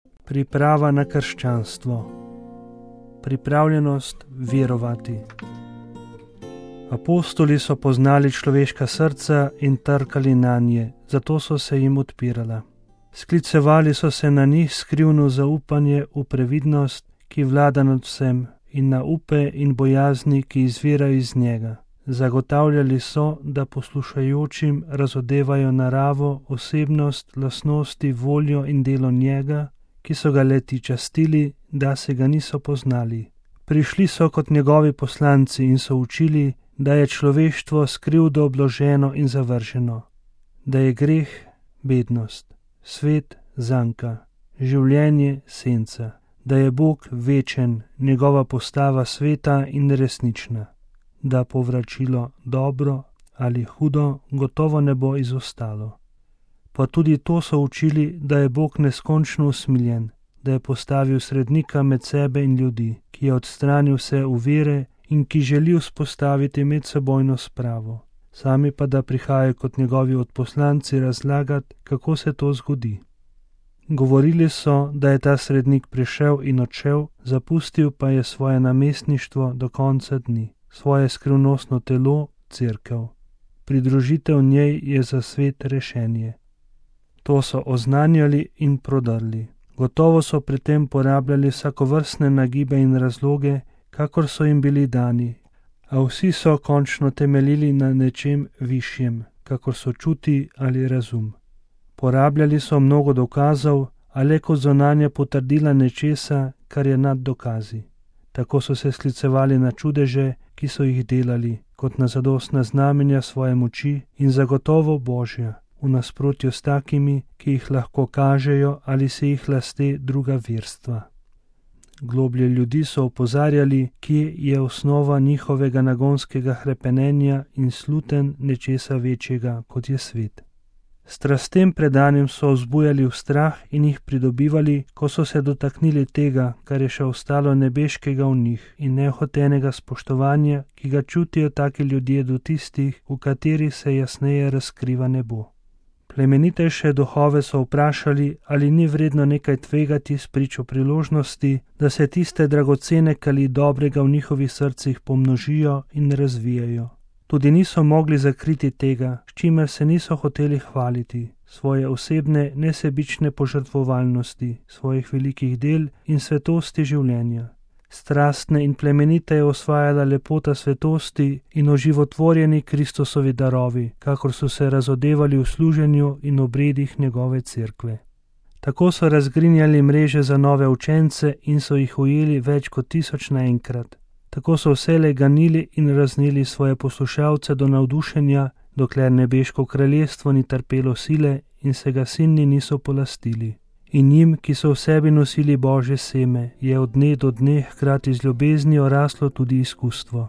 Priprava na krščanstvo. Pripravljenost verovati. Apostoli so poznali človeška srca in trkali nanje, zato so se jim odpirala. Sklicevali so se na njih skrivno zaupanje v previdnost, ki vlada nad vsem, in na upe in bojazni, ki izvirajo iz njega. Zagotavljali so, da poslušajočim razodevajo naravo, osebnost, lastnosti, voljo in delo njega, ki so ga leti častili, da se ga niso poznali. Prišli so kot njegovi poslanci in so učili, da je človeštvo s krivdo obloženo in zavrženo, da je greh bednost, svet zanka, življenje senca, da je Bog večen, njegova postava sveta in resnična, da povračilo dobro ali hudo gotovo ne bo izostalo. Pa tudi to so učili, da je Bog neskončno usmiljen, da je postavil srednika med sebe in ljudi, ki je odstranil vse ovire in ki želi vzpostaviti medsebojno spravo, sami pa da prihajajo kot njegovi odposlanci razlagati, kako se to zgodi. Govorili so, da je ta srednik prišel in odšel, zapustil pa je svoje namestništvo do konca dni, svoje skrivnostno telo, cerkev. Pridružitev njej je za svet rešenje. To so oznanjali in prodrli. Gotovo so pri tem porabljali vsakovrstne nagibe in razloge, kakor so jim bili dani, a vsi so končno temeljili na nečem višjem, kakor so čuti ali razum. Porabljali so mnogo dokazov, a le kot zunanja potrdila nečesa, kar je nad dokazi. Tako so se sklicevali na čudeže, ki so jih delali, kot na zadostna znamenja svoje moči in zagotovo Božja, v nasprotju s takimi, ki jih lahko kažejo ali se jih lasti druga verstva. Globlje ljudi so opozarjali, kje je osnova njihovega nagonskega hrepenenja in sluten nečesa večjega, kot je svet. Strastem predanim so vzbujali v strah in jih pridobivali, ko so se dotaknili tega, kar je še ostalo nebeškega v njih in nehotenega spoštovanja, ki ga čutijo taki ljudje do tistih, v katerih se jasneje razkriva nebo. Plemenitejše duhove so vprašali, ali ni vredno nekaj tvegati spričo priložnosti, da se tiste dragocene kali dobrega v njihovih srcih pomnožijo in razvijajo. Tudi niso mogli zakriti tega, s čimer se niso hoteli hvaliti, svoje osebne, nesebične požrtvovalnosti, svojih velikih del in svetosti življenja. Strastne in plemenite je osvajala lepota svetosti in oživotvorjeni Kristusovi darovi, kakor so se razodevali v služenju in obredih njegove cerkve. Tako so razgrinjali mreže za nove učence in so jih ujeli več kot 1000 naenkrat. Tako so vselej ganili in raznili svoje poslušalce do navdušenja, dokler nebeško kraljestvo ni trpelo sile in se ga sinni niso polastili. In njim, ki so v sebi nosili Božje seme, je od dne do dne hkrati z ljubeznijo raslo tudi izkustvo.